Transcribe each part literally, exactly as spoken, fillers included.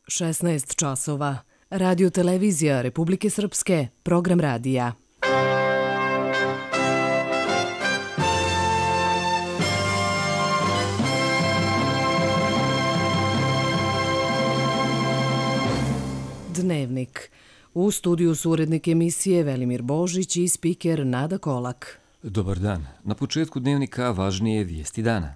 šesnaest časova. Radio televizija Republike Srpske, program radija. Dnevnik. U studiju su urednik emisije Velimir Božić i spiker Nada Kolak. Dobar dan. Na početku dnevnika važnije vijesti dana.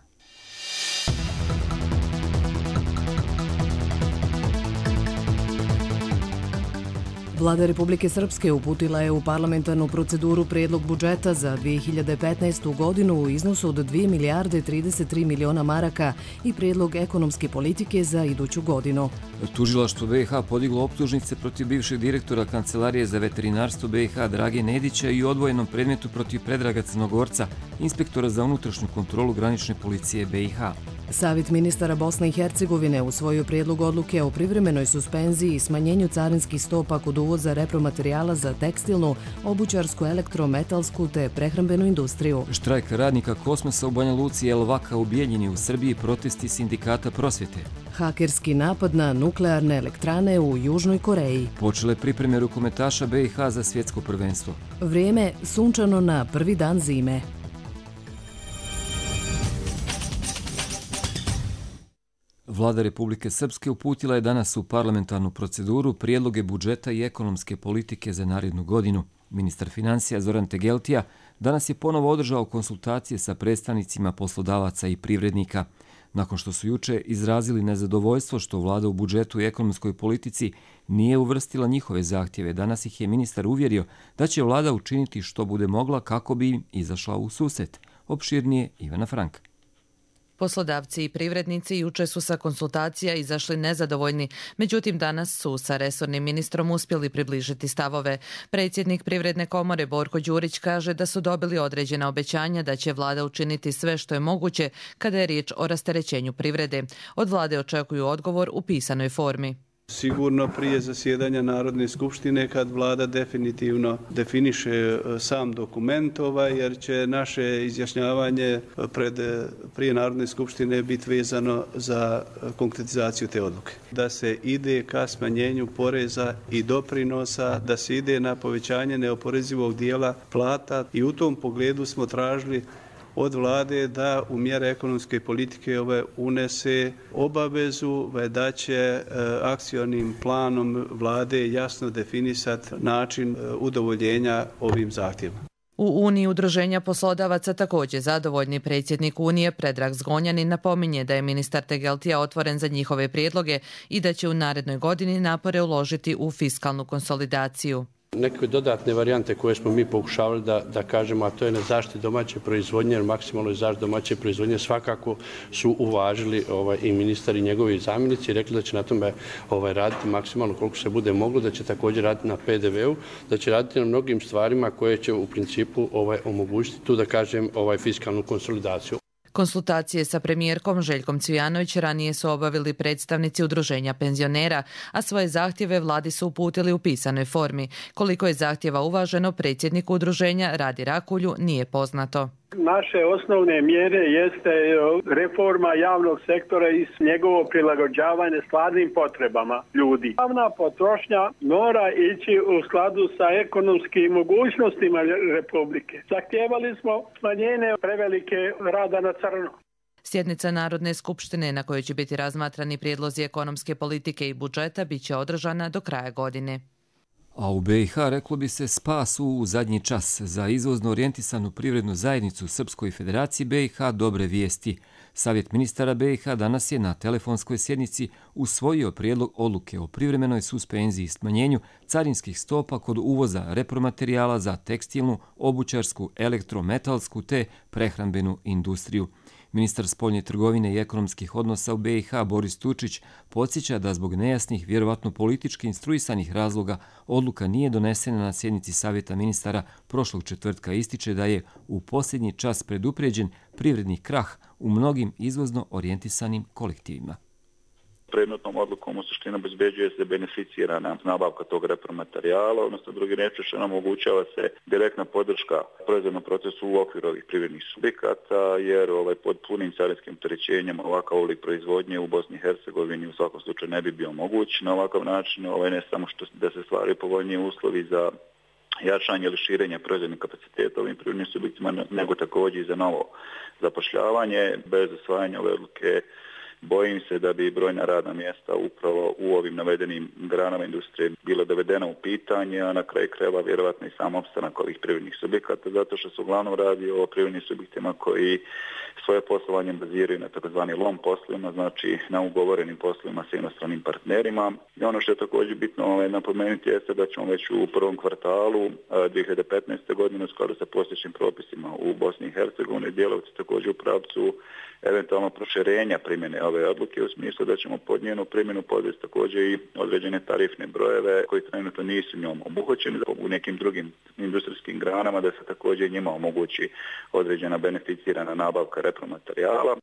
Vlada Republike Srpske uputila je u parlamentarnu proceduru predlog budžeta za dvije hiljade petnaestu. godinu u iznosu od dvije milijarde trideset tri miliona maraka i predlog ekonomske politike za iduću godinu. Tužilaštvo B i H podiglo optužnice protiv bivšeg direktora Kancelarije za veterinarstvo B i H Drage Nedića i odvojenom predmetu protiv Predraga Crnogorca, inspektora za unutrašnju kontrolu granične policije B i H. Savjet ministara Bosne i Hercegovine usvojio prijedlog odluke o privremenoj suspenziji i smanjenju carinskih stopa kod uvoza repromaterijala za tekstilnu, obućarsku, elektrometalsku te prehrambenu industriju. Štrajk radnika Kosmosa u Banja Luci i Elvaka u Bijeljini u Srbiji, protesti sindikata prosvjete. Hakerski napad na nuklearne elektrane u Južnoj Koreji. Počele pripreme rukometaša B i H za svjetsko prvenstvo. Vrijeme sunčano na prvi dan zime. Vlada Republike Srpske uputila je danas u parlamentarnu proceduru prijedloge budžeta i ekonomske politike za narednu godinu. Ministar financija Zoran Tegeltija danas je ponovo održao konsultacije sa predstavnicima poslodavaca i privrednika. Nakon što su juče izrazili nezadovoljstvo što vlada u budžetu i ekonomskoj politici nije uvrstila njihove zahtjeve, danas ih je ministar uvjerio da će vlada učiniti što bude mogla kako bi im izašla u susret. Opširnije Ivana Frank. Poslodavci i privrednici juče su sa konsultacija izašli nezadovoljni, međutim danas su sa resornim ministrom uspjeli približiti stavove. Predsjednik Privredne komore Borko Đurić kaže da su dobili određena obećanja da će vlada učiniti sve što je moguće kada je riječ o rasterećenju privrede. Od vlade očekuju odgovor u pisanoj formi. Sigurno prije zasjedanja Narodne skupštine kad vlada definitivno definiše sam dokument ovaj, jer će naše izjašnjavanje pred, prije Narodne skupštine biti vezano za konkretizaciju te odluke. Da se ide ka smanjenju poreza i doprinosa, da se ide na povećanje neoporezivog dijela plata i u tom pogledu smo tražili od vlade da u mjere ekonomske politike ove unese obavezu da će akcionim planom vlade jasno definisati način udovoljenja ovim zahtjevima. U Uniji udruženja poslodavaca također zadovoljni. Predsjednik Unije Predrag Zgonjanin napominje da je ministar Tegeltija otvoren za njihove prijedloge i da će u narednoj godini napore uložiti u fiskalnu konsolidaciju. Neke dodatne varijante koje smo mi pokušavali da, da kažemo, a to je na zaštiti domaće proizvodnje, jer maksimalno zaštiti domaće proizvodnje svakako su uvažili ovaj, i ministar i njegovi zamjenici i rekli da će na tome ovaj, raditi maksimalno koliko se bude moglo, da će također raditi na P D V-u, da će raditi na mnogim stvarima koje će u principu ovaj, omogućiti tu da kažem ovaj, fiskalnu konsolidaciju. Konsultacije sa premijerkom Željkom Cvijanović ranije su obavili predstavnici udruženja penzionera, a svoje zahtjeve vladi su uputili u pisanoj formi. Koliko je zahtjeva uvaženo, predsjedniku udruženja Radi Rakulju nije poznato. Naše osnovne mjere jeste reforma javnog sektora i njegovo prilagođavanje stvarnim potrebama ljudi. Javna potrošnja mora ići u skladu sa ekonomskim mogućnostima Republike. Zahtijevali smo smanjenje prevelike rada na crno. Sjednica Narodne skupštine na kojoj će biti razmatrani prijedlozi ekonomske politike i budžeta bit će održana do kraja godine. A u B i H reklo bi se spas u zadnji čas. Za izvozno orijentisanu privrednu zajednicu Srpskoj federaciji B i H dobre vijesti. Savjet ministara B i H danas je na telefonskoj sjednici usvojio prijedlog odluke o privremenoj suspenziji i smanjenju carinskih stopa kod uvoza repromaterijala za tekstilnu, obućarsku, elektrometalsku te prehrambenu industriju. Ministar spoljne trgovine i ekonomskih odnosa u B i H Boris Tučić podsjeća da zbog nejasnih, vjerovatno politički instruisanih razloga, odluka nije donesena na sjednici Savjeta ministara prošlog četvrtka. Ističe da je u posljednji čas predupređen privredni krah u mnogim izvozno orijentisanim kolektivima. predmetnom odlukom u suštini obezbeđuje se beneficirana nabavka tog repromaterijala, odnosno drugi reči nam omogućava se direktna podrška proizvodnom procesu u okviru ovih privrednih subjekata, jer ovaj, pod punim carinskim opterećenjem ovakav oblik proizvodnje u Bosni i Hercegovini u svakom slučaju ne bi bio moguć. Na ovakav način ovaj, ne samo što da se stvaraju povoljniji uslovi za jačanje ili širenje proizvodnih kapaciteta ovim privrednim subjektima, nego također i za novo zapošljavanje. Bez osvajanja ove odluke bojim se da bi brojna radna mjesta upravo u ovim navedenim granama industrije bila dovedena u pitanje, a na kraju krajeva vjerovatno i sam opstanak ovih privrednih subjekata, zato što se uglavnom radi o privrednim subjektima koji svoje poslovanje baziraju na takozvani lom poslovima, znači na ugovorenim poslovima sa inostranim partnerima. I ono što je također bitno ovaj, napomenuti jeste da ćemo već u prvom kvartalu dvije hiljade petnaeste. godine u skladu sa postojećim propisima u Bosni i Hercegovini djelovati također u pravcu eventualno proširenja primjene ove odluke u smislu da ćemo pod njenu primjenu podvesti također i određene tarifne brojeve koji trenutno nisu njom obuhvaćeni u nekim drugim industrijskim granama, da se također njima omogući određena beneficirana nabavka repromaterijala.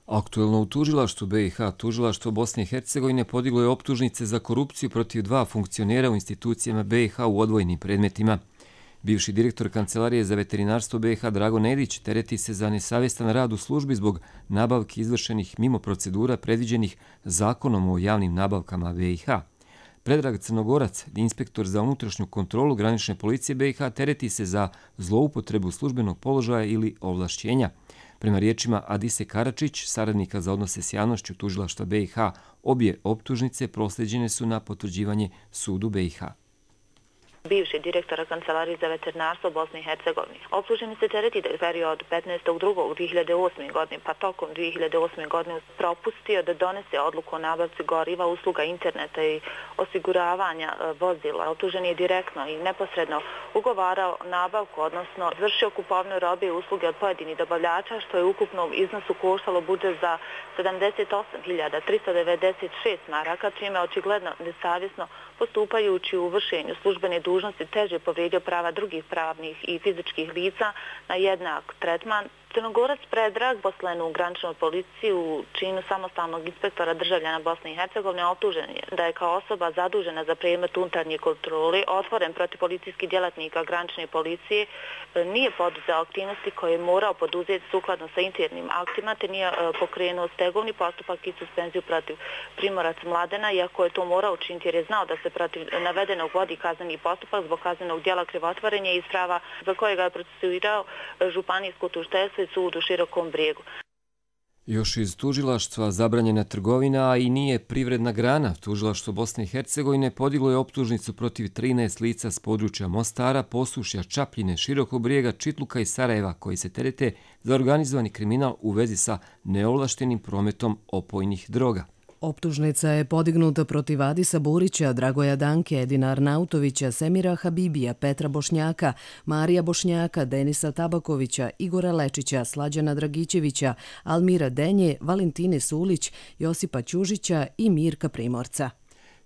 Aktuelno u tužilaštvu B i H tužilaštvo Bosne i Hercegovine podiglo je optužnice za korupciju protiv dva funkcionera u institucijama B i H u odvojenim predmetima. Bivši direktor Kancelarije za veterinarstvo B i H Drago Nedić tereti se za nesavjestan rad u službi zbog nabavki izvršenih mimo procedura predviđenih zakonom o javnim nabavkama B i H. Predrag Crnogorac, inspektor za unutrašnju kontrolu granične policije B i H, tereti se za zloupotrebu službenog položaja ili ovlašćenja. Prema riječima Adise Karačić, saradnika za odnose s javnošću tužilaštva B i H, obje optužnice prosljeđene su na potvrđivanje sudu B i H. Bivši direktora Kancelarije za veterinarstvo Bosne i Hercegovine. Optuženi se tereti da je period petnaestog drugog dvije hiljade osme. godine pa tokom dvije hiljade osme. godine propustio da donese odluku o nabavci goriva, usluga interneta i osiguravanja vozila. Optuženi je direktno i neposredno ugovarao nabavku, odnosno izvršio kupovnu robe i usluge od pojedinih dobavljača, što je u ukupnom iznosu koštalo budžet za sedamdeset osam hiljada tristo devedeset šest maraka, čime očigledno nesavjesno postupajući u vršenju službene dužnosti teže povrijedio prava drugih pravnih i fizičkih lica na jednak tretman. Crnogorac Predrag, poslen u graničnoj policiji u činu samostalnog inspektora državljana Bosne i Hercegovine, optužen je da je kao osoba zadužena za predmet unutarnje kontrole otvoren protiv policijskih djelatnika granične policije, nije poduzeo aktivnosti koje je morao poduzeti sukladno sa internim aktima, te nije pokrenuo stegovni postupak i suspenziju protiv Primorac Mladena, iako je to morao učiniti jer je znao da se protiv navedenog vodi kazneni postupak zbog kaznenog djela krivotvorenja i isprava za kojega je procesuirao županijsko tužiteljstvo sud u Širokom Brijegu. Još iz tužilaštva zabranjena trgovina, a i nije privredna grana. Tužilaštvo Bosne i Hercegovine podiglo je optužnicu protiv trinaest lica s područja Mostara, Posušja, Čapljine, Širokog Brijega, Čitluka i Sarajeva koji se terete za organizovani kriminal u vezi sa neovlaštenim prometom opojnih droga. Optužnica je podignuta protiv Adisa Burića, Dragoja Danke, Edina Arnautovića, Semira Habibija, Petra Bošnjaka, Marija Bošnjaka, Denisa Tabakovića, Igora Lečića, Slađana Dragićevića, Almira Denje, Valentine Sulić, Josipa Ćužića i Mirka Primorca.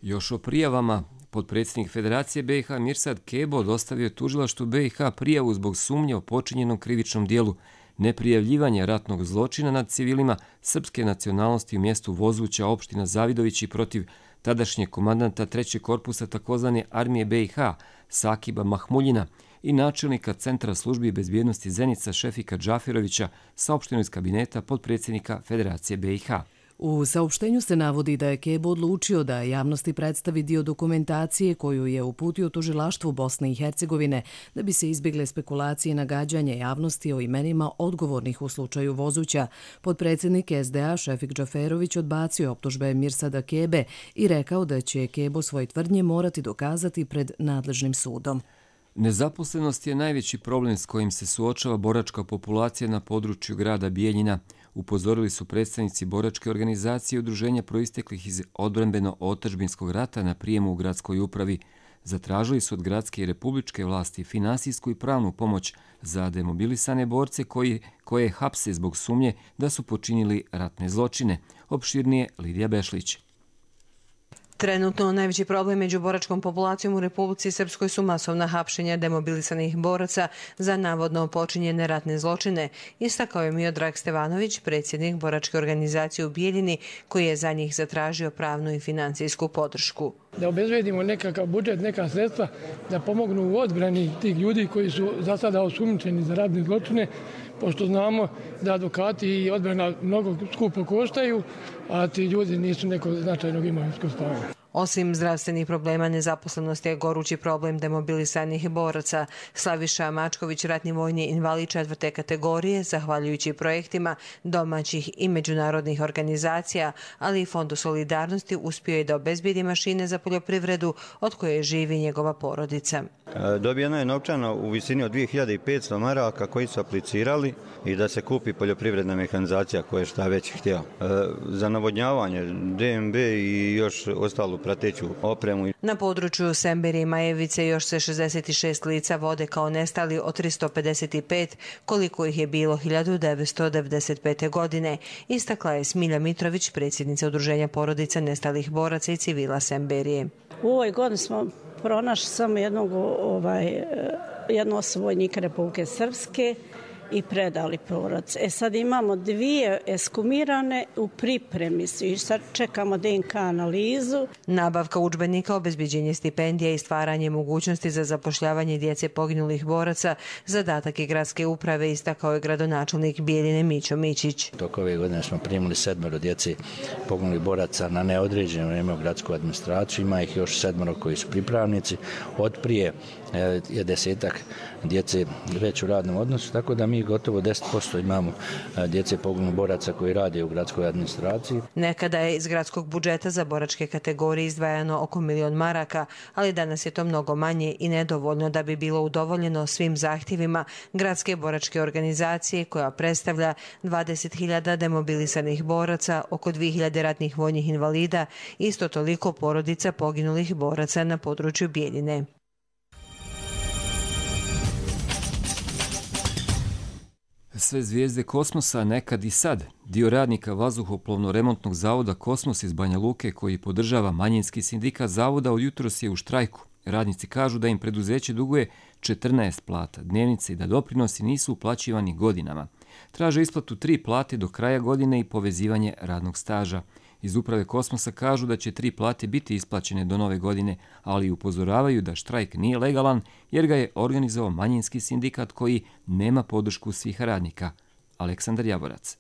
Još o prijavama. Potpredsjednik Federacije B i H Mirsad Kebo dostavio je tužilaštvu B i H prijavu zbog sumnje o počinjenom krivičnom dijelu neprijavljivanja ratnog zločina nad civilima srpske nacionalnosti u mjestu Vozuća, opština Zavidovići, protiv tadašnjeg komandanta trećeg korpusa takozvane armije B i H Sakiba Mahmuljina i načelnika Centra službi bezbjednosti Zenica Šefika Džafirovića, saopšteno iz kabineta potpredsjednika Federacije B i H. U saopštenju se navodi da je Kebo odlučio da javnosti predstavi dio dokumentacije koju je uputio tužilaštvu Bosne i Hercegovine da bi se izbjegle spekulacije i nagađanje javnosti o imenima odgovornih u slučaju Vozuća. Potpredsjednik S D A Šefik Džaferović odbacio optužbe Mirsada Kebe i rekao da će Kebo svoje tvrdnje morati dokazati pred nadležnim sudom. Nezaposlenost je najveći problem s kojim se suočava boračka populacija na području grada Bijeljina, upozorili su predstavnici boračke organizacije i udruženja proisteklih iz odbrambeno-otadžbinskog rata na prijemu u gradskoj upravi. Zatražili su od gradske i republičke vlasti finansijsku i pravnu pomoć za demobilisane borce koji, koje hapse zbog sumnje da su počinili ratne zločine. Opširnije Lidija Bešlić. Trenutno najveći problem među boračkom populacijom u Republici Srpskoj su masovna hapšenja demobilisanih boraca za navodno počinjene ratne zločine, istakao je Miodrag Stevanović, predsjednik boračke organizacije u Bijeljini, koji je za njih zatražio pravnu i financijsku podršku. Da obezbedimo nekakav budžet, neka sredstva da pomognu u odbrani tih ljudi koji su za sada osumnjičeni za ratne zločine, pošto znamo da advokati i odbrana mnogo skupo koštaju, a ti ljudi nisu nekog značajnog imovinskog stanja. Osim zdravstvenih problema, nezaposlenost je gorući problem demobilisanih boraca. Slaviša Mačković, ratni vojni invalid četvrte kategorije, zahvaljujući projektima domaćih i međunarodnih organizacija, ali i Fondu solidarnosti, uspio je da obezbedi mašine za poljoprivredu od koje živi njegova porodica. Dobijeno je novčano u visini od dvije hiljade petsto maraka koji su aplicirali i da se kupi poljoprivredna mehanizacija koja je šta već htjela. Za navodnjavanje, D M B i još ostalu prateću opremu. Na području Semberije i Majevice još se šezdeset šest lica vode kao nestali od tristo pedeset pet, koliko ih je bilo hiljadu devetsto devedeset pete. godine. Istakla je Smilja Mitrović, predsjednica Udruženja porodica nestalih boraca i civila Semberije. U ovoj godini smo pronašli samo jednog, ovaj, jednu osobu vojnika Republike Srpske i predali porodice. E sad imamo dvije eskumirane u pripremi i sad čekamo D N K analizu. Nabavka udžbenika, obezbeđenje stipendija i stvaranje mogućnosti za zapošljavanje djece poginulih boraca zadatak je gradske uprave, istakao je gradonačelnik Bijeljine Mićo Mićić. Tok ove godine smo primili sedmero djeci poginulih boraca na neodređeno vrijeme u gradsku administraciju. Ima ih još sedmero koji su pripravnici. Od prije je desetak djece već u radnom odnosu, tako da mi gotovo deset posto imamo djece poginulih boraca koji rade u gradskoj administraciji. Nekada je iz gradskog budžeta za boračke kategorije izdvajano oko milion maraka, ali danas je to mnogo manje i nedovoljno da bi bilo udovoljeno svim zahtjevima gradske boračke organizacije koja predstavlja dvadeset hiljada demobilisanih boraca, oko dvije hiljade ratnih vojnih invalida, isto toliko porodica poginulih boraca na području Bijeljine. Sve zvijezde kosmosa nekad i sad. Dio radnika vazduhoplovno-remontnog zavoda Kosmos iz Banja Luke, koji podržava manjinski sindikat zavoda, od jutros je u štrajku. Radnici kažu da im preduzeće duguje četrnaest plata dnevnice i da doprinosi nisu uplaćivani godinama. Traže isplatu tri plate do kraja godine i povezivanje radnog staža. Iz uprave Kosmosa kažu da će tri plate biti isplaćene do nove godine, ali upozoravaju da štrajk nije legalan jer ga je organizovao manjinski sindikat koji nema podršku svih radnika. Aleksandar Javorac.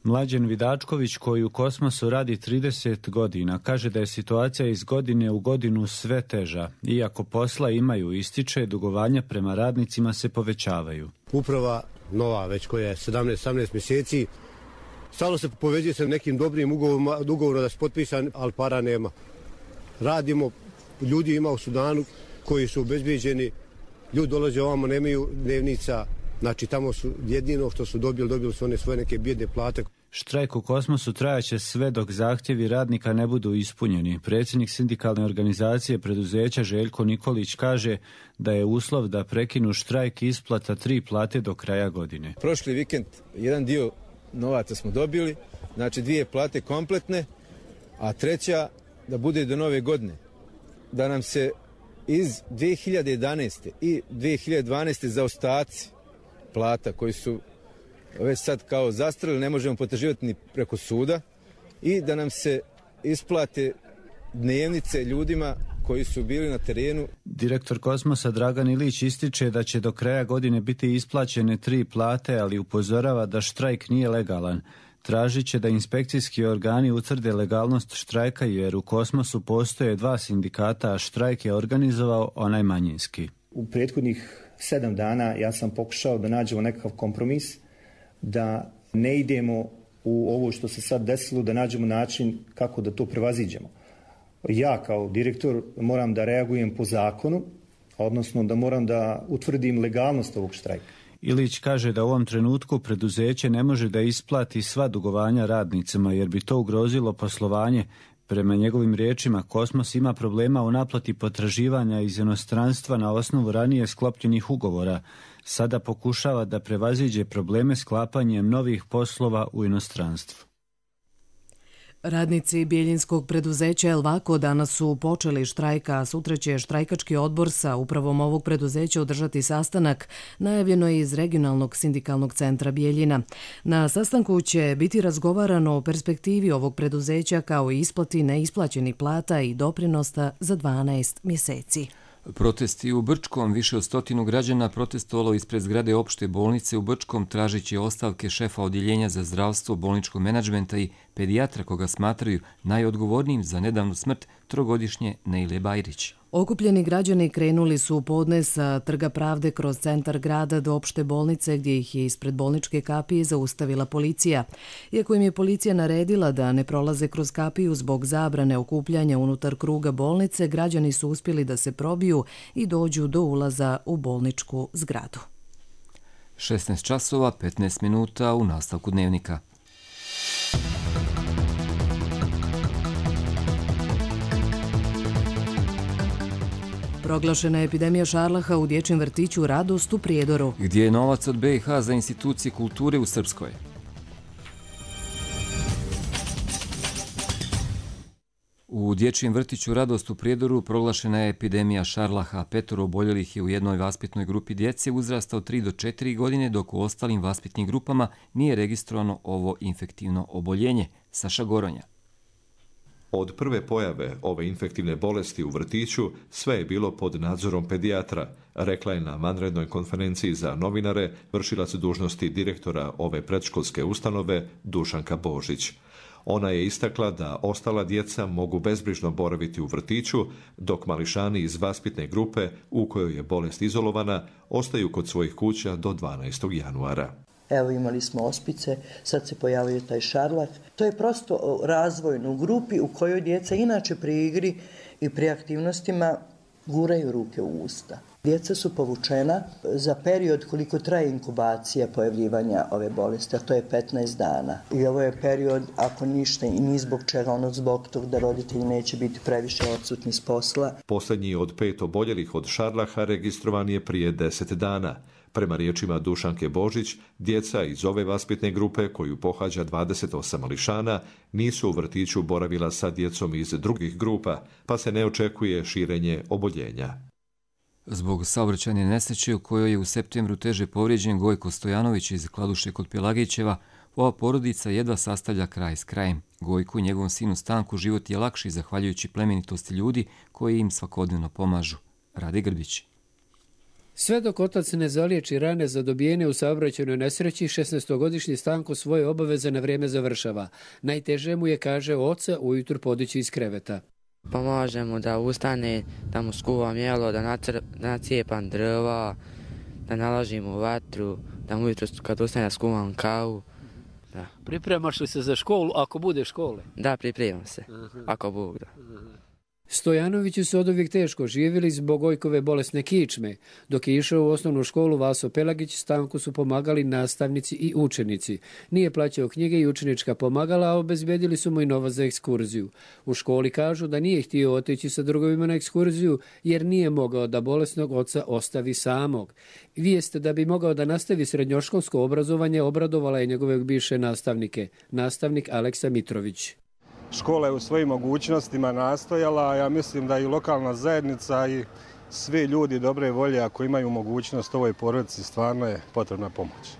Mlađen Vidačković, koji u Kosmosu radi trideset godina, kaže da je situacija iz godine u godinu sve teža. Iako posla imaju, ističe, dugovanja prema radnicima se povećavaju. Uprava nova, već koja je sedamnaest osamnaest mjeseci, stalno se povezuje sa nekim dobrim ugovorima, ugovorom da se potpisan, ali para nema. Radimo, ljudi ima u Sudanu koji su obezbeđeni, ljudi dolaze ovamo, nemaju dnevnica, znači tamo su jedino što su dobili, dobili su one svoje neke bijedne plate. Štrajk u Kosmosu trajaće sve dok zahtjevi radnika ne budu ispunjeni. Predsjednik sindikalne organizacije preduzeća Željko Nikolić kaže da je uslov da prekinu štrajk isplata tri plate do kraja godine. Prošli vikend jedan dio novaca smo dobili, znači dvije plate kompletne, a treća da bude do nove godine. Da nam se iz dvije hiljade jedanaeste i dvije hiljade dvanaeste zaostaci plata koji su već sad kao zastreli, ne možemo potraživati ni preko suda, i da nam se isplate dnevnice ljudima koji su bili na terenu. Direktor Kosmosa Dragan Ilić ističe da će do kraja godine biti isplaćene tri plate, ali upozorava da štrajk nije legalan. Tražit će da inspekcijski organi utvrde legalnost štrajka jer u Kosmosu postoje dva sindikata, a štrajk je organizovao onaj manjinski. U prethodnih sedam dana ja sam pokušao da nađemo nekakav kompromis, da ne idemo u ovo što se sad desilo, da nađemo način kako da to prevaziđemo. Ja kao direktor moram da reagujem po zakonu, odnosno da moram da utvrdim legalnost ovog štrajka. Ilić kaže da u ovom trenutku preduzeće ne može da isplati sva dugovanja radnicima jer bi to ugrozilo poslovanje. Prema njegovim riječima, Kosmos ima problema u naplati potraživanja iz inostranstva na osnovu ranije sklopljenih ugovora. Sada pokušava da prevaziđe probleme sklapanjem novih poslova u inostranstvu. Radnici Bijeljinskog preduzeća Elvako danas su počeli štrajk, a sutra će štrajkački odbor sa upravom ovog preduzeća održati sastanak, najavljeno je iz regionalnog sindikalnog centra Bijeljina. Na sastanku će biti razgovarano o perspektivi ovog preduzeća kao i isplati neisplaćenih plata i doprinosta za dvanaest mjeseci. Protesti u Brčkom, više od stotinu građana protestovalo ispred zgrade opšte bolnice u Brčkom tražići ostavke šefa odjeljenja za zdravstvo, bolničkog menadžmenta i pedijatra koga smatraju najodgovornijim za nedavnu smrt trogodišnje Nejle Bajrić. Okupljeni građani krenuli su u podne sa Trga pravde kroz centar grada do opšte bolnice gdje ih je ispred bolničke kapije zaustavila policija. Iako im je policija naredila da ne prolaze kroz kapiju zbog zabrane okupljanja unutar kruga bolnice, građani su uspjeli da se probiju i dođu do ulaza u bolničku zgradu. šesnaest časova petnaest minuta u nastavku dnevnika. Proglašena je epidemija šarlaha u dječjem vrtiću Radost u Prijedoru. Gdje je novac od B i H za institucije kulture u Srpskoj? U dječjem vrtiću Radost u Prijedoru proglašena je epidemija šarlaha. Petoro oboljelih je u jednoj vaspitnoj grupi djece uzrasta od tri do četiri godine, dok u ostalim vaspitnim grupama nije registrovano ovo infektivno oboljenje. Saša Goronja. Od prve pojave ove infektivne bolesti u vrtiću sve je bilo pod nadzorom pedijatra, rekla je na vanrednoj konferenciji za novinare vršilac dužnosti direktora ove predškolske ustanove Dušanka Božić. Ona je istakla da ostala djeca mogu bezbrižno boraviti u vrtiću, dok mališani iz vaspitne grupe u kojoj je bolest izolovana ostaju kod svojih kuća do dvanaestog januara. Evo imali smo ospice, sad se pojavio taj šarlah. To je prosto razvojno u grupi u kojoj djeca inače pri igri i pri aktivnostima guraju ruke u usta. Djeca su povučena za period koliko traje inkubacija pojavljivanja ove bolesti, a to je petnaest dana. I ovo je period, ako ništa i ni zbog čega, ono zbog tog da roditelji neće biti previše odsutni s posla. Posljednji od pet oboljelih od šarlaha registrovan je prije deset dana. Prema riječima Dušanke Božić, djeca iz ove vaspitne grupe, koju pohađa dvadeset osam mališana, nisu u vrtiću boravila sa djecom iz drugih grupa, pa se ne očekuje širenje oboljenja. Zbog saobraćajne nesreće u kojoj je u septembru teže povrijeđen Gojko Stojanović iz Kladuše kod Pelagićeva, ova porodica jedva sastavlja kraj s krajem. Gojku i njegovom sinu Stanku život je lakši zahvaljujući plemenitosti ljudi koji im svakodnevno pomažu. Rade Grbić. Sve dok otac ne zaliječi rane zadobijene u saobraćajnoj nesreći, šesnaestogodišnji Stanko svoje obaveze na vrijeme završava. Najteže mu je, kaže oca, ujutru podići iz kreveta. Pomaže mu da ustane, da mu skuvam jelo, da, nacr, da nacijepam drva, da naložim u vatru, da mu ujutru kad ustane da skuvam kavu. Da. Pripremaš li se za školu ako bude škole? Da, pripremam se, uh-huh. ako Bog da. Uh-huh. Stojanovići su oduvijek teško živjeli zbog Gojkove bolesne kičme. Dok je išao u osnovnu školu Vaso Pelagić, Stanku su pomagali nastavnici i učenici. Nije plaćao knjige i učenička pomagala, a obezbedili su mu i novac za ekskurziju. U školi kažu da nije htio otići sa drugovima na ekskurziju jer nije mogao da bolesnog oca ostavi samog. Vijest da bi mogao da nastavi srednjoškolsko obrazovanje obradovala je njegove bivše nastavnike. Nastavnik Aleksa Mitrović. Škola je u svojim mogućnostima nastojala, a ja mislim da i lokalna zajednica i svi ljudi dobre volje ako imaju mogućnost ovoj porodici stvarno je potrebna pomoć.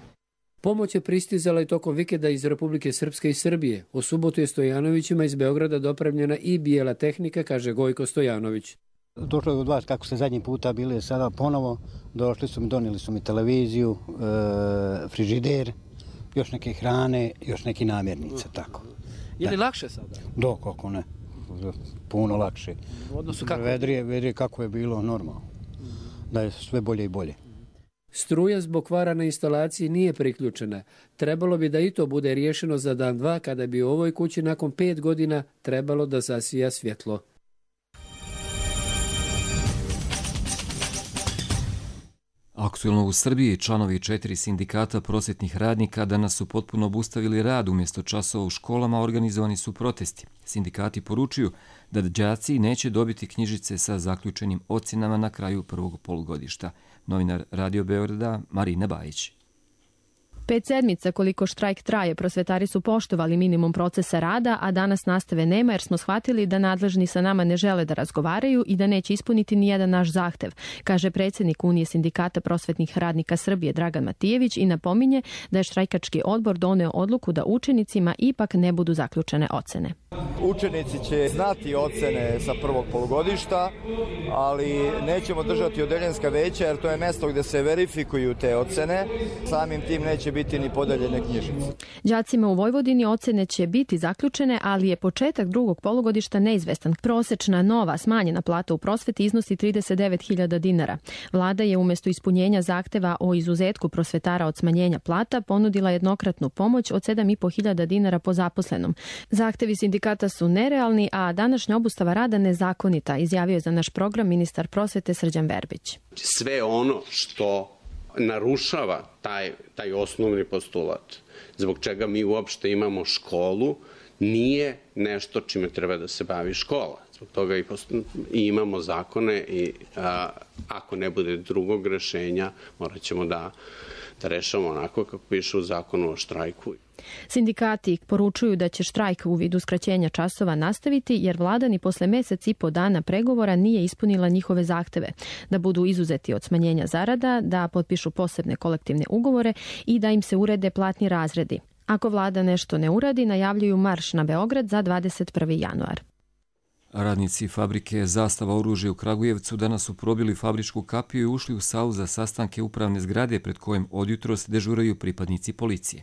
Pomoć je pristizala i tokom vikenda iz Republike Srpske i Srbije. U subotu je Stojanovićima iz Beograda dopremljena i bijela tehnika, kaže Gojko Stojanović. Došlo je od vas kako ste zadnji puta bili, sada ponovo došli su mi, donijeli su mi televiziju, e, frižider, još neke hrane, još neki namirnice, tako. Je li lakše sada? Da, kako ne. Puno lakše. U odnosu kako? Vedrije, vedrije kako je bilo normalno. Da je sve bolje i bolje. Struja zbog kvara na instalaciji nije priključena. Trebalo bi da i to bude riješeno za dan dva kada bi u ovoj kući nakon pet godina trebalo da zasija svjetlo. Aktuelno u Srbiji članovi četiri sindikata prosvetnih radnika danas su potpuno obustavili rad. Umjesto časova u školama organizovani su protesti. Sindikati poručuju da đaci neće dobiti knjižice sa zaključenim ocjenama na kraju prvog polugodišta. Novinar Radio Beograda Marina Bajić. Pet sedmica koliko štrajk traje, prosvetari su poštovali minimum procesa rada, a danas nastave nema jer smo shvatili da nadležni sa nama ne žele da razgovaraju i da neće ispuniti ni jedan naš zahtev, kaže predsjednik Unije sindikata prosvetnih radnika Srbije Dragan Matijević i napominje da je štrajkački odbor doneo odluku da učenicima ipak ne budu zaključene ocene. Učenici će znati ocene sa prvog polugodišta, ali nećemo držati odeljenska veća jer to je mjesto gdje se verifikuju te ocene. Samim tim neće biti ni podeljene knjižice. Đacima u Vojvodini ocene će biti zaključene, ali je početak drugog polugodišta neizvestan. Prosečna nova smanjena plata u prosveti iznosi trideset devet hiljada dinara. Vlada je umjesto ispunjenja zahteva o izuzetku prosvetara od smanjenja plata ponudila jednokratnu pomoć od sedam i po hiljada dinara po zaposlenom. Zahtevi sindikata su nerealni, a današnja obustava rada nezakonita, izjavio je za naš program ministar prosvete Srđan Verbić. Sve ono što narušava taj, taj osnovni postulat, zbog čega mi uopšte imamo školu, nije nešto čime treba da se bavi škola. Zbog toga i, i imamo zakone i a, ako ne bude drugog rešenja, morat ćemo da, da rešamo onako kako piše u zakonu o štrajku. Sindikati poručuju da će štrajk u vidu skraćenja časova nastaviti jer vlada ni posle mesec i po dana pregovora nije ispunila njihove zahteve, da budu izuzeti od smanjenja zarada, da potpišu posebne kolektivne ugovore i da im se urede platni razredi. Ako vlada nešto ne uradi, najavljuju marš na Beograd za dvadeset prvi januar. Radnici fabrike Zastava oružja u Kragujevcu danas su probili fabričku kapiju i ušli u salu za sastanke upravne zgrade pred kojim odjutros dežuraju pripadnici policije.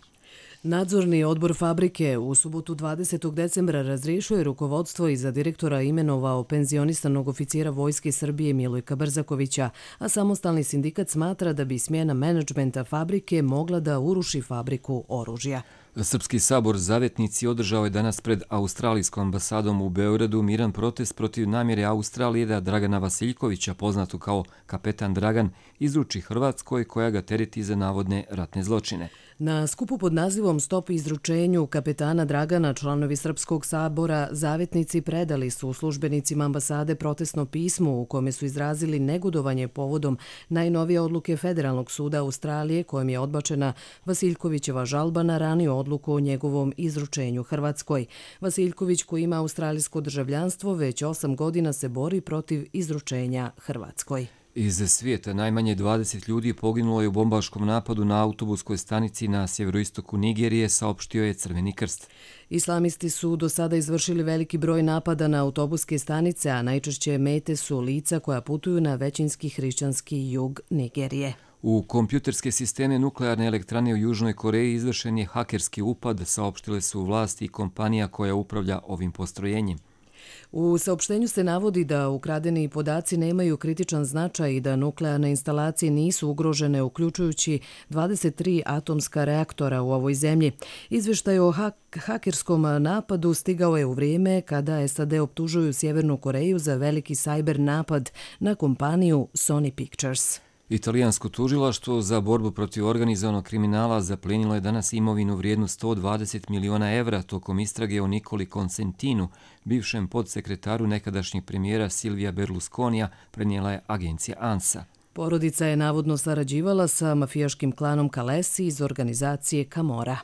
Nadzorni odbor fabrike u subotu dvadesetog decembra razriješio je rukovodstvo i za direktora imenovao penzionisanog oficira Vojske Srbije Milojka Brzakovića, a samostalni sindikat smatra da bi smjena menadžmenta fabrike mogla da uruši fabriku oružja. Srpski sabor Zavetnici održao je danas pred Australijskom ambasadom u Beogradu miran protest protiv namjere Australije da Dragana Vasiljkovića, poznatu kao kapetan Dragan, izruči Hrvatskoj koja ga tereti za navodne ratne zločine. Na skupu pod nazivom Stop izručenju kapetana Dragana članovi Srpskog sabora Zavetnici predali su službenicima ambasade protestno pismo u kome su izrazili negodovanje povodom najnovije odluke Federalnog suda Australije kojom je odbačena Vasiljkovićeva žalba na raniju odluku o njegovom izručenju Hrvatskoj. Vasiljković, koji ima australijsko državljanstvo, već osam godina se bori protiv izručenja Hrvatskoj. Iz svijeta najmanje dvadeset ljudi poginulo je u bombaškom napadu na autobuskoj stanici na sjeveroistoku Nigerije, saopštio je Crveni krst. Islamisti su do sada izvršili veliki broj napada na autobuske stanice, a najčešće mete su lica koja putuju na većinski hrišćanski jug Nigerije. U kompjuterske sisteme nuklearne elektrane u Južnoj Koreji izvršen je hakerski upad, saopštile su vlasti i kompanija koja upravlja ovim postrojenjem. U saopštenju se navodi da ukradeni podaci nemaju kritičan značaj i da nuklearne instalacije nisu ugrožene, uključujući dvadeset tri atomska reaktora u ovoj zemlji. Izvještaj o hak hakerskom napadu stigao je u vrijeme kada S A D optužuju Sjevernu Koreju za veliki sajber napad na kompaniju Sony Pictures. Italijansko tužilaštvo za borbu protiv organizovanog kriminala zaplenilo je danas imovinu vrijednu sto dvadeset miliona evra tokom istrage o Nikoli Consentinu, bivšem podsekretaru nekadašnjeg premijera Silvija Berlusconija, prenijela je agencija ANSA. Porodica je navodno sarađivala sa mafijaškim klanom Kalesi iz organizacije Camorra.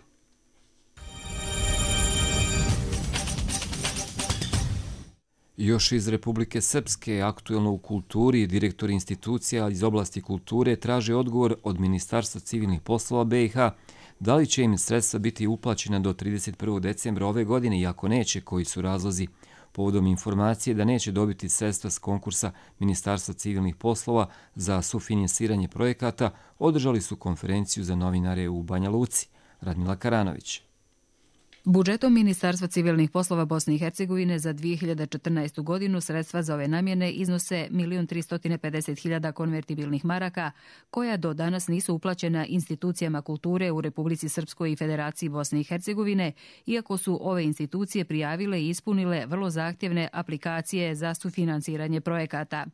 Još iz Republike Srpske, aktuelno u kulturi, direktor institucija iz oblasti kulture traže odgovor od Ministarstva civilnih poslova B i H da li će im sredstva biti uplaćena do trideset prvog decembra ove godine i ako neće, koji su razlozi. Povodom informacije da neće dobiti sredstva s konkursa Ministarstva civilnih poslova za sufinansiranje projekata, održali su konferenciju za novinare u Banja Luci. Radmila Karanović. Budžetom Ministarstva civilnih poslova Bosne i Hercegovine za dvije hiljade četrnaestu. godinu sredstva za ove namjene iznose milion tristo pedeset hiljada konvertibilnih maraka, koja do danas nisu uplaćena institucijama kulture u Republici Srpskoj i Federaciji Bosne i Hercegovine, iako su ove institucije prijavile i ispunile vrlo zahtjevne aplikacije za sufinansiranje projekata.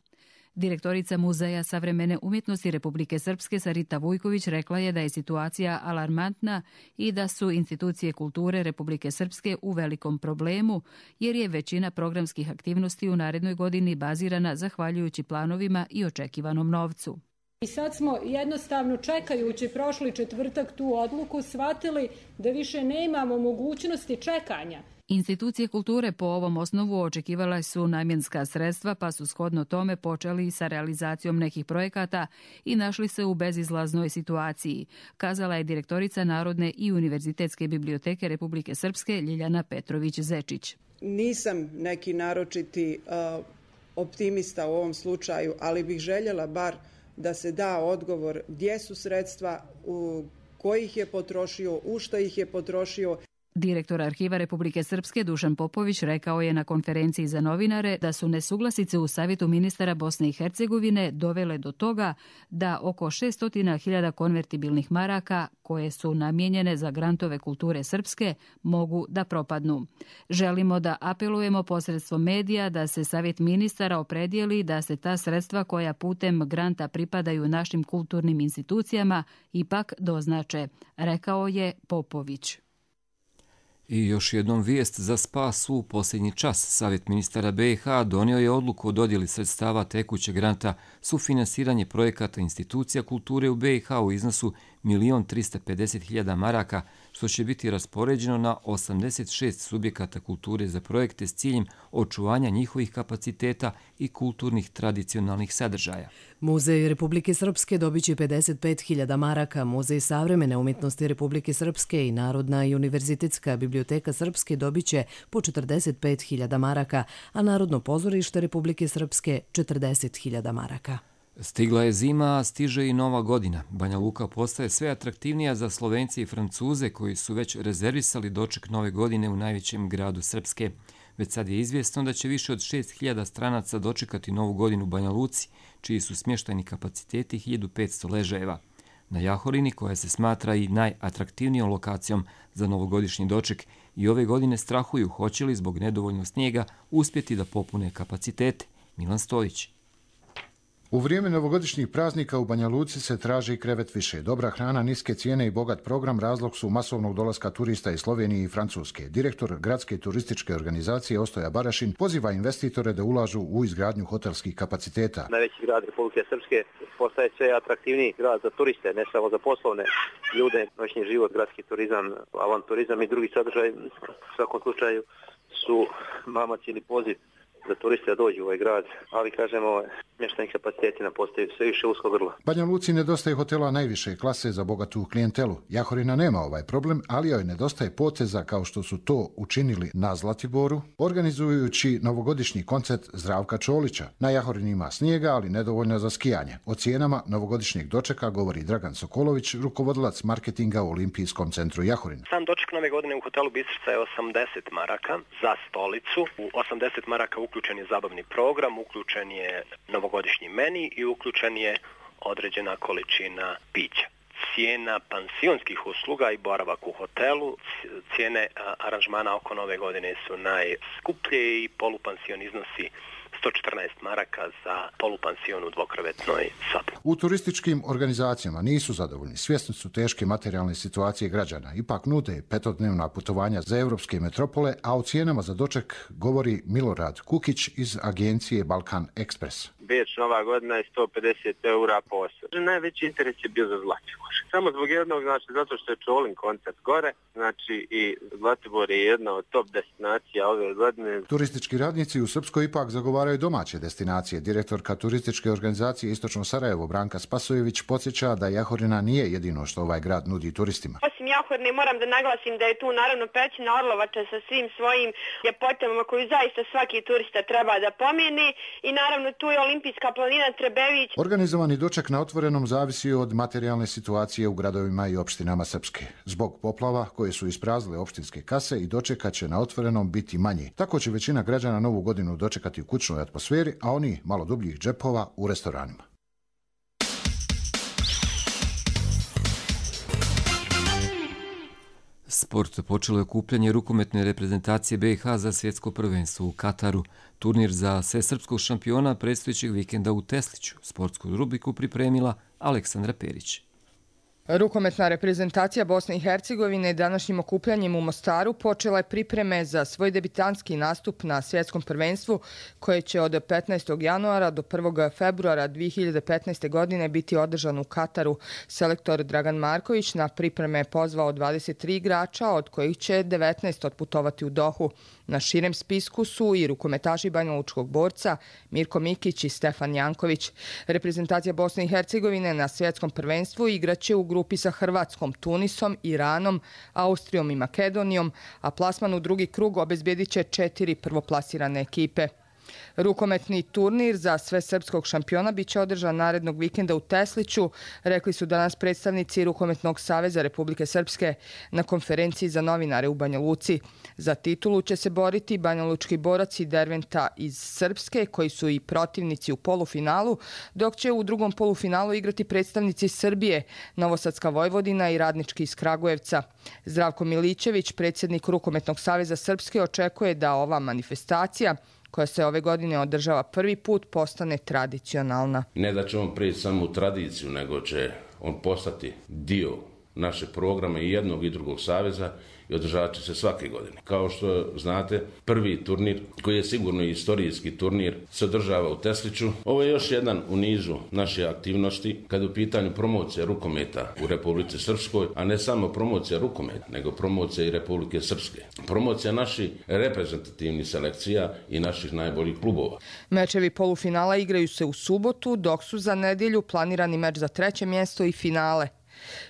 Direktorica Muzeja savremene umjetnosti Republike Srpske Sarita Vujković rekla je da je situacija alarmantna i da su institucije kulture Republike Srpske u velikom problemu, jer je većina programskih aktivnosti u narednoj godini bazirana zahvaljujući planovima i očekivanom novcu. I sad smo jednostavno čekajući prošli četvrtak tu odluku shvatili da više nemamo mogućnosti čekanja. Institucije kulture po ovom osnovu očekivale su namjenska sredstva, pa su shodno tome počeli sa realizacijom nekih projekata i našli se u bezizlaznoj situaciji, kazala je direktorica Narodne i Univerzitetske biblioteke Republike Srpske Ljiljana Petrović-Zečić. Nisam neki naročiti uh, optimista u ovom slučaju, ali bih željela bar da se da odgovor gdje su sredstva, u kojih je potrošio, u što ih je potrošio. Direktor Arhiva Republike Srpske Dušan Popović rekao je na konferenciji za novinare da su nesuglasice u Savjetu ministara Bosne i Hercegovine dovele do toga da oko šesto hiljada konvertibilnih maraka koje su namijenjene za grantove kulture srpske mogu da propadnu. Želimo da apelujemo posredstvom medija da se Savjet ministara opredijeli da se ta sredstva koja putem granta pripadaju našim kulturnim institucijama ipak doznače, rekao je Popović. I još jednom vijest za spas u posljednji čas. Savjet ministara B i H donio je odluku o dodjeli sredstava tekućeg granta sufinansiranje projekata institucija kulture u B i H u iznosu milion trista pedeset hiljada maraka, što će biti raspoređeno na osamdeset šest subjekata kulture za projekte s ciljem očuvanja njihovih kapaciteta i kulturnih tradicionalnih sadržaja. Muzej Republike Srpske dobit će pedeset pet hiljada maraka, Muzej savremene umjetnosti Republike Srpske i Narodna i Univerzitetska biblioteka Srpske dobit će po četrdeset pet hiljada maraka, a Narodno pozorište Republike Srpske četrdeset hiljada maraka. Stigla je zima, a stiže i nova godina. Banja Luka postaje sve atraktivnija za Slovence i Francuze koji su već rezervisali doček nove godine u najvećem gradu Srpske. Već sad je izvjesno da će više od šest hiljada stranaca dočekati novu godinu u Banja Luci, čiji su smještajni kapaciteti hiljadu petsto ležajeva. Na Jahorini, koja se smatra i najatraktivnijom lokacijom za novogodišnji doček, i ove godine strahuju hoće li zbog nedovoljnog snijega uspjeti da popune kapacitete. Milan Stojić. U vrijeme novogodišnjih praznika u Banja Luci se traži krevet više. Dobra hrana, niske cijene i bogat program razlog su masovnog dolaska turista iz Slovenije i Francuske. Direktor gradske turističke organizacije Ostoja Barašin poziva investitore da ulažu u izgradnju hotelskih kapaciteta. Najveći grad Republike Srpske postaje sve atraktivniji grad za turiste, ne samo za poslovne ljude, noćni život, gradski turizam, avanturizam i drugi sadržaj. U svakom slučaju su mamac ili poziv za turiste da dođu u ovaj grad, ali kažemo, smještajni kapaciteti nam postaju sve više usko grlo. Banja Luci nedostaje hotela najviše klase za bogatu klijentelu. Jahorina nema ovaj problem, ali joj nedostaje poteza kao što su to učinili na Zlatiboru, organizujući novogodišnji koncert Zdravka Čolića. Na Jahorini ima snijega, ali nedovoljno za skijanje. O cijenama novogodišnjeg dočeka govori Dragan Sokolović, rukovodilac marketinga u Olimpijskom centru Jahorina. Sam doček nove godine u hotelu Bistrica je osamdeset maraka za stolicu. U osamdeset maraka uključen je zabavni program, uključen je novogodišnji meni i uključen je određena količina pića. Cijena pansionskih usluga i boravak u hotelu, cijene aranžmana oko nove godine su najskuplje i polupansion iznosi sto četrnaest maraka za polupansion u dvokrevetnoj sobi. U turističkim organizacijama nisu zadovoljni. Svjesni su teške materijalne situacije građana. Ipak nude petodnevna putovanja za evropske metropole, a o cijenama za doček govori Milorad Kukić iz agencije Balkan Express. Beč nova godina je sto pedeset eura po osobi. Najveći interes je bio za Zlatibor. Samo zbog jednog, znači zato što je Čolin koncert gore, znači i Zlatibor je jedna od top destinacija ove godine. Turistički radnici u Srpskoj ipak zagovaraju domaće destinacije. Direktorka turističke organizacije Istočno Sarajevo Branka Spasojević podsjeća da Jahorina nije jedino što ovaj grad nudi turistima. Osim Jahorine moram da naglasim da je tu naravno pećina Orlovača sa svim svojim ljepotama koju zaista svaki turista treba da pomeni i naravno tu je Olimpijska planina Trebević. Organizovani doček na otvorenom zavisi od materijalne situacije u gradovima i opštinama Srpske. Zbog poplava koje su ispraznile opštinske kase i dočeka će na otvorenom biti manji. Tako će većina građana novu godinu dočekati u kućnoj atmosferi, a oni malo dubljih džepova u restoranima. Sport počelo je okupljanje rukometne reprezentacije B i H za svjetsko prvenstvo u Kataru. Turnir za svesrpskog šampiona predstojećeg vikenda u Tesliću. Sportsku rubriku pripremila Aleksandra Perić. Rukometna reprezentacija Bosne i Hercegovine današnjim okupljanjem u Mostaru počela je pripreme za svoj debitanski nastup na svjetskom prvenstvu koje će od petnaestog januara do prvog februara dvije hiljade petnaeste. godine biti održan u Kataru. Selektor Dragan Marković na pripreme je pozvao dvadeset tri igrača, od kojih će devetnaest otputovati u Dohu. Na širem spisku su i rukometaši banjalučkog borca Mirko Mikić i Stefan Janković. Reprezentacija Bosne i Hercegovine na svjetskom prvenstvu igraće u grupi sa Hrvatskom, Tunisom, Iranom, Austrijom i Makedonijom, a plasman u drugi krug obezbjedit će četiri prvoplasirane ekipe. Rukometni turnir za sve srpskog šampiona biće održan narednog vikenda u Tesliću, rekli su danas predstavnici Rukometnog saveza Republike Srpske na konferenciji za novinare u Banja Luci. Za titulu će se boriti banjalučki borac i Derventa iz Srpske, koji su i protivnici u polufinalu, dok će u drugom polufinalu igrati predstavnici Srbije, Novosadska Vojvodina i Radnički iz Kragujevca. Zdravko Milićević, predsjednik Rukometnog saveza Srpske, očekuje da ova manifestacija, koja se ove godine održava prvi put, postane tradicionalna. Ne da će on prijeći samo u tradiciju, nego će on postati dio našeg programa i jednog i drugog saveza i održavat će se svake godine. Kao što znate, prvi turnir, koji je sigurno i istorijski turnir, se održava u Tesliću. Ovo je još jedan u nizu naše aktivnosti kada je u pitanju promocija rukometa u Republici Srpskoj, a ne samo promocija rukometa, nego promocija i Republike Srpske. Promocija naših reprezentativnih selekcija i naših najboljih klubova. Mečevi polufinala igraju se u subotu, dok su za nedjelju planirani meč za treće mjesto i finale.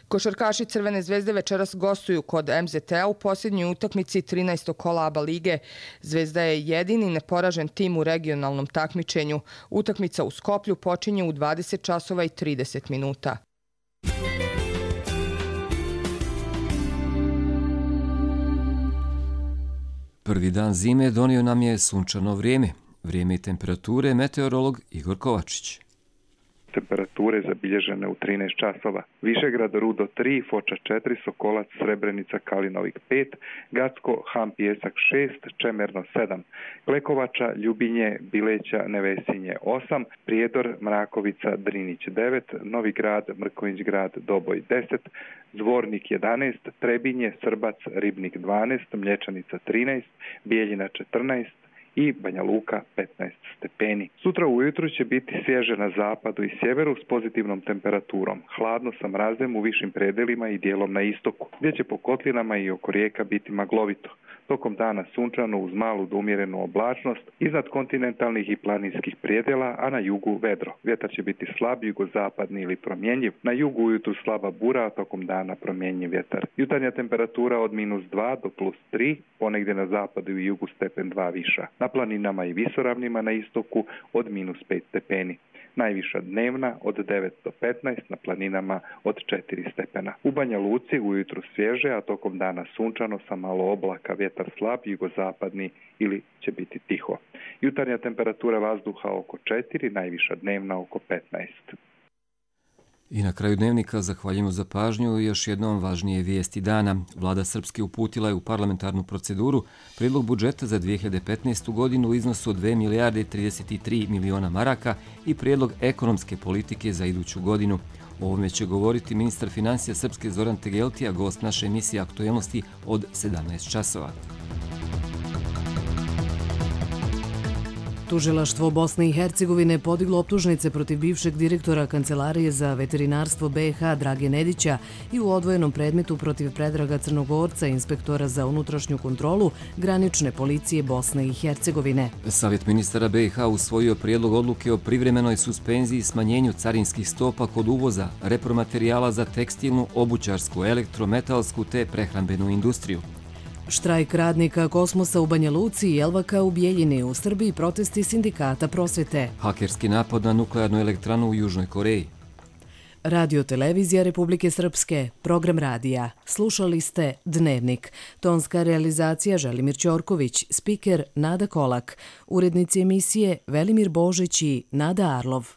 Košarkaši Crvene zvezde večeras gostuju kod em zet te-a u posljednjoj utakmici trinaestog kola A B A lige. Zvezda je jedini neporažen tim u regionalnom takmičenju. Utakmica u Skoplju počinje u dvadeset časova i trideset minuta. Prvi dan zime donio nam je sunčano vrijeme. Vrijeme i temperature meteorolog Igor Kovačić. Temperature zabilježene u trinaest časova. Višegrad Rudo tri, Foča četiri, Sokolac, Srebrenica, Kalinovik pet, Gacko, Ham, Pijesak šest, Čemerno sedam, Klekovača, Ljubinje, Bileća, Nevesinje osam, Prijedor, Mrakovica, Drinić devet, Novi Grad, Mrkonjić Grad, Doboj deset, Zvornik jedanaest, Trebinje, Srbac, Ribnik dvanaest, Mlječanica trinaest, Bijeljina četrnaest, i Banja Luka petnaest stepeni. Sutra ujutru će biti svježe na zapadu i sjeveru s pozitivnom temperaturom. Hladno sa mrazem u višim predelima i dijelom na istoku, gdje će po kotlinama i oko rijeka biti maglovito. Tokom dana sunčano uz malu do umjerenu oblačnost iznad kontinentalnih i planinskih predjela, a na jugu vedro. Vjetar će biti slab, jugozapadni ili promjenjiv. Na jugu ujutru slaba bura, a tokom dana promjenjiv vjetar. Jutarnja temperatura od minus dva do plus tri, ponegdje na zapadu i jugu stepen dva viša. Na planinama i visoravnima na istoku od minus pet stepeni. Najviša dnevna od devet do petnaest, na planinama od četiri stepena. U Banja Luci ujutru svježe, a tokom dana sunčano sa malo oblaka, vjetar slab, jugozapadni ili će biti tiho. Jutarnja temperatura vazduha oko četiri, najviša dnevna oko petnaest. I na kraju dnevnika zahvaljujemo za pažnju i još jednom važnije vijesti dana. Vlada Srpske uputila je u parlamentarnu proceduru prijedlog budžeta za dvije hiljade petnaestu. godinu u iznosu od dve milijarde trideset tri miliona maraka i prijedlog ekonomske politike za iduću godinu. O ovome će govoriti ministar financija Srpske Zoran Tegeltija, gost naše emisije Aktuelnosti od sedamnaest časova. Tužilaštvo Bosne i Hercegovine podiglo optužnice protiv bivšeg direktora Kancelarije za veterinarstvo be i ha Drage Nedića i u odvojenom predmetu protiv Predraga Crnogorca, inspektora za unutrašnju kontrolu granične policije Bosne i Hercegovine. Savjet ministara be i ha usvojio prijedlog odluke o privremenoj suspenziji i smanjenju carinskih stopa kod uvoza repromaterijala za tekstilnu, obućarsku, elektrometalsku te prehrambenu industriju. Štrajk radnika Kosmosa u Banja Luci i Elvaka u Bijeljini, u Srbiji protesti sindikata prosvete. Hakerski napad na nuklearnu elektranu u Južnoj Koreji. Radio Televizija Republike Srpske, program radija. Slušali ste Dnevnik. Tonska realizacija Želimir Ćorković, spiker Nada Kolak, urednici emisije Velimir Božić i Nada Arlov.